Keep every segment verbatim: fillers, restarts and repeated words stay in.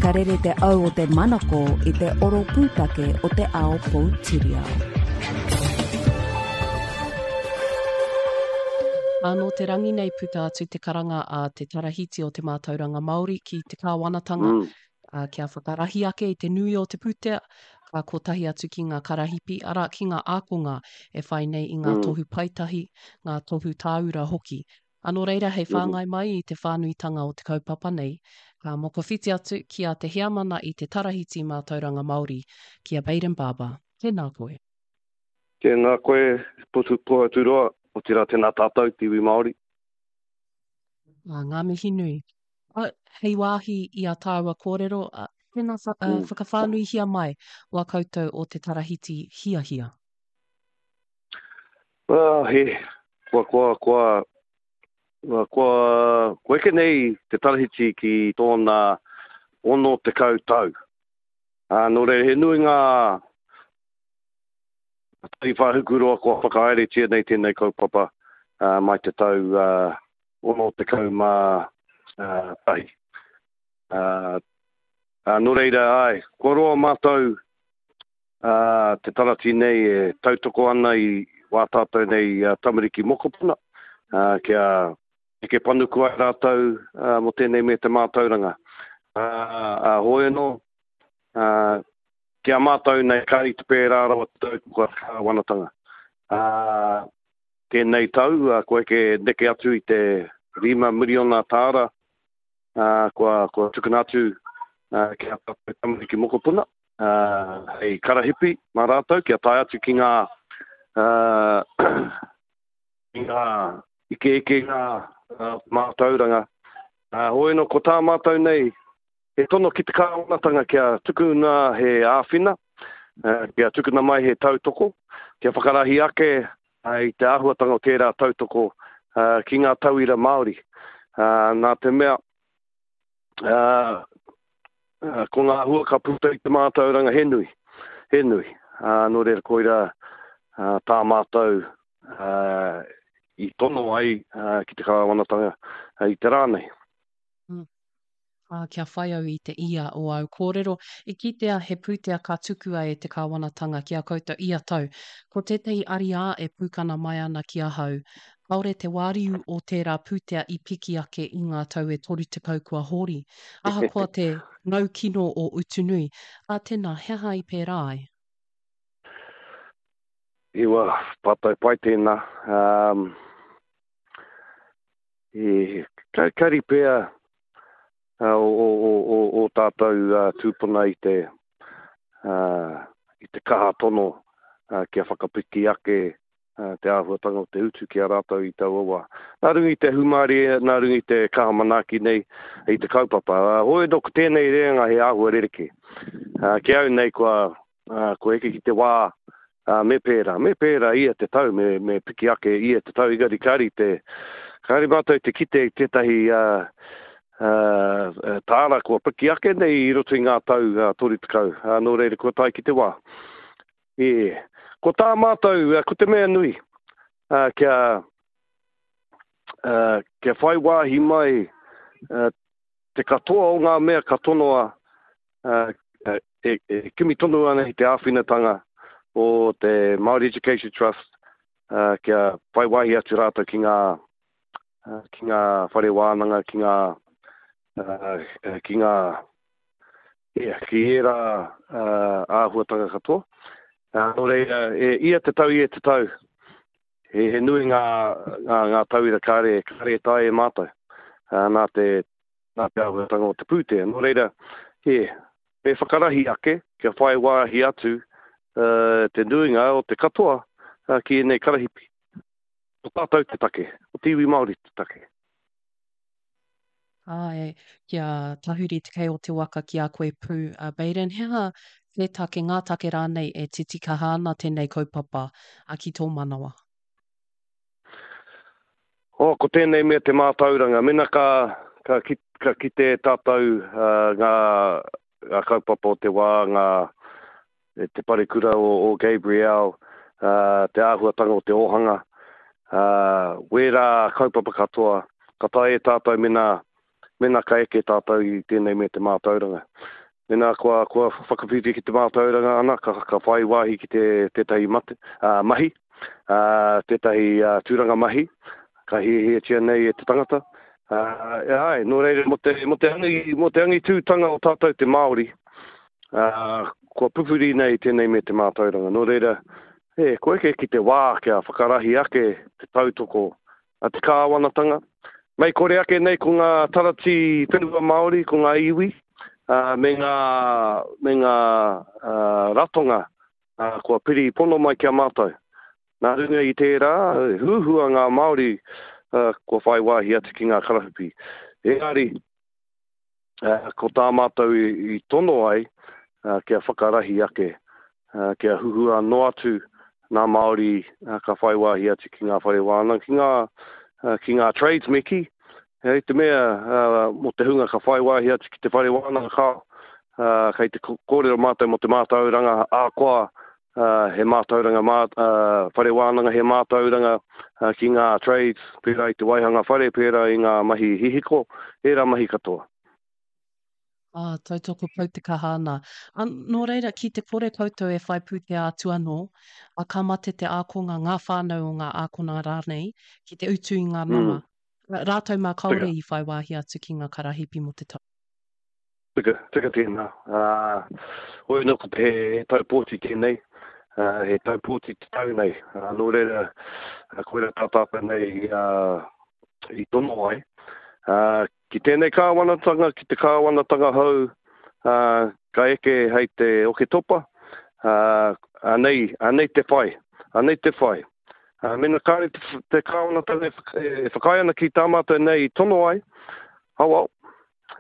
Ka rere te au o te manako i te oro pūtake o te ao poutiriao. Ā, nō te rangi nei puta atu te karanga a te Tarahiti o te Mātauranga Māori ki te kāwanatanga mm. ā, kia whakarahi ake i te nui o te pūtea, ka kotahi atu ki ngā karahipi, arā, ki ngā ākonga e whai nei i ngā mm. tohu paetahi, ngā tohu tāura hoki. Ā, nō reira, hei whāngai mai i te whānuitanga o te kaupapa nei, ka mokowhiti atu ki a Te Heamana i te Tarahiti Mātauranga Māori, ki a Bayden Barber. Tēnā koe. Tēnā koe, Pohaturoa, otirā tēnā tātou, te iwi Māori. Ā, ngā mihi nui. Ā, hei wāhi i a tāua kōrero, ā, tēnā wha, ā, mm. whakawhānuihia mai wā koutou o te Tarahiti hiahia. Well, he, kua, kua, kua, kua, kua eke nei te Tarahiti ki tōna ono tekau tau. Ā, nō reira, he nui ngā tariwha hukuroa kua whakahaeretia nei tēnei kaupapa uh, mai te tau uh, ono tekau mā uh, tahi. Uh, uh, nō reira, ai, kua roa mātou uh, te tarati nei e tautoko ana i wā tātou nei uh, tamariki mokopuna, uh, kia eke panuku ai rātou uh, mō tēnei me te mātauranga. Uh, uh, hoi anō, uh, ki a mātou nei kāri te pērā rawa te tautoko a te kāwanatanga. Uh, tēnei tau, uh, kua eke neke atu i te rima miriona tāra, uh, kua, kua tukuna atu uh, ki a tātou tamariki mokopuna, uh, hei karahipi mā rātou, kia tae atu ki ngā, uh, ki ngā ikeike ngā uh, mātauranga. Uh, hoi anō, ko tā mātou nei, he tono ki te kāwanatanga kia tukuna he āwhina, uh, kia tukuna mai he tautoko, kia whakarahi ake uh, i te āhuatanga o tērā tautoko uh, ki ngā tauira Māori. Uh, nā te mea, uh, uh, ko ngā hua ka puta i te mātauranga he nui, he nui. Uh, nō reira koira uh, tā mātou uh, i tono ai uh, ki te kāwanatanga uh, i te rā nei. Mm. Ā, kia whai au i te ia o āu kōrero, i kitea he pūtea ka tukua e te kāwanatanga ki a koutou ia tau. Ko tētahi ariā e pūkana mai ana ki ahau, kāore te wāriu o tērā pūtea i piki ake i ngā tau e toru tekau kua hori, ahakoa te ngau kino o Utunui. Ā, tēnā, he aha i pērā ai? Iwa, pātai pai tēnā. Um, e, kari pea uh, o, o, o, o, o tātou uh, tūpuna i te, uh, i te kaha tono uh, kia whakapiki ake uh, te āhuatanga o te utu ki a rātou i taua wā. Nā runga i te humārie, nā runga i te kaha manaaki nei i te kaupapa. Uh, hoi anō ko tēnei reanga he āhua rerekē. Uh, ki au nei kua, uh, kua eke ki te wā uh, me pērā. Me pērā ia te tau, me, me piki ake ia te tau. Engari kāri te, kāri mātou te kite i tētahi uh, uh, tāra kua piki ake nei i roto i ngā tau uh, toru tekau. Uh, nō reira kua tae ki te wā. E, ko tā mātou, uh, ko te mea nui, uh, kia, uh, kia whai wāhi mai uh, te katoa o ngā mea ka tonoa uh, e, e kimi tonu ana i te āwhinatanga o te Māori Education Trust, uh, kia whai wāhi atu rātou ki ngā, uh, ki ngā whare wānanga, ki ngā, uh, ki ngā, yeah, ki ērā uh, āhuatanga katoa. Uh, nō reira, e, ia te tau, ia te tau, he, he nui ngā, ngā, ngā tauira kāre, kāre e tae e mātou, uh, nā te, nā te āhuatanga o te pūtea. Nō reira, e, me whakarahi ake, kia whai wāhi atu uh, te nuinga o te katoa uh, ki ēnei karahipi. Ko tātou te take, ko te iwi Māori te take. Āe, kia tahuri te kei o te waka ki a koe pū, a Bayden, he aha te take, ngā take rānei e titikaha ana tēnei kaupapa a ki tō manawa? Oh, ko tēnei mea te mātauranga. Mena ka, ka, ki, ka kite tātou uh, ngā, ngā kaupapa o te wā, ngā, te parekura o, o Gabrielle, uh, te āhuatanga o te ōhanga, uh, wērā kaupapa katoa, ka tae e tātou mena Mēnā ka eke tātou i tēnei me te mātauranga. Mēnā kua, kua whakawhiwhi ki te mātauranga ana, ka, ka whai wāhi ki te, tētahi mate, uh, mahi, uh, tētahi uh, tūranga mahi, ka hiahiatia nei e te tangata. Uh, e ai, nō reira, mō te, mō te, angi, mō te angitūtanga o tātou te Māori, uh, kua pupuri nei tēnei me te mātauranga. Nō reira, e, kua eke ki te wā kia whakarahi ake te tautoko a te kāwanatanga. Mei kore ake nei ko ngā tarati whenua Māori, ko ngā iwi, uh, me ngā, me ngā uh, ratonga uh, kua piri pono mai ki a mātou. Nā runga i tērā, huhua ngā Māori uh, kua whai wāhi atu ki ngā karahipi. Engari, uh, ko tā mātou i, i tono ai, uh, kia whakarahi ake, uh, kia huhua noa atu ngā Māori uh, ka whai wāhi atu ki ngā whare wānanga, ki ngā, uh, ki ngā trades me kī. Hei te mea, uh, mō te hunga ka whai wāhi atu ki te whare wānanga kao, uh, kei te kōrero mātou mō te mātauranga ahakoa, uh, he mātauranga mā, uh, whare wānanga, he mātauranga uh, ki ngā trades, pērā i te waihanga whare, pērā i ngā mahi hihiko, ērā mahi katoa. Ah, tautoko pau te kaha ana. A, nō reira, ki te kore koutou e whai pūtea atu anō, a ka mate te ākonga, ngā whānau o ngā ākona rānei, ki te utu i ngā nama. Mm. Rātou mā kāore i whai wāhi atu ki ngā karahipi mō te tau. Tika, tika tēnā. Uh, hoi anō ko te he tau pōti tēnei, uh, he tau pōti te tau nei. Uh, nō reira, koira tā tātou nei uh, i tono ai. Uh, ki tēnei kāwanatanga, ki te kāwanatanga hou, uh, ka eke hei te Oketopa, uh, anei, anei te whai, anei te whai. Uh, mena kāre te, te kāwanatanga e whakaae ana ki tā mātou nei i tono ai, hau au,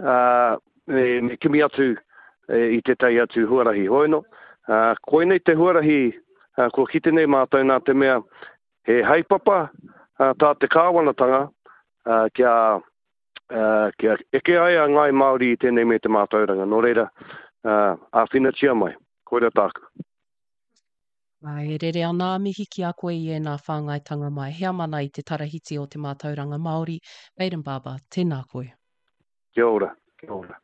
uh, me, me kimi atu e, i tētahi atu huarahi. Hoi anō, uh, koinei te huarahi uh, kua kite nei mātou nā te mea he haepapa uh, tā te kāwanatanga uh, kia Uh, kia eke ai a Ngāi Māori i tēnei me te mātauranga. Nō reira, uh, āwhinatia mai. Koira tāku. Ai, e rere ana a mihi ki a koe i ēnā whāngaitanga mai. Heamana i te Tarahiti o te Mātauranga Māori, Bayden Barber, tēnā koe. Kia ora, kia ora.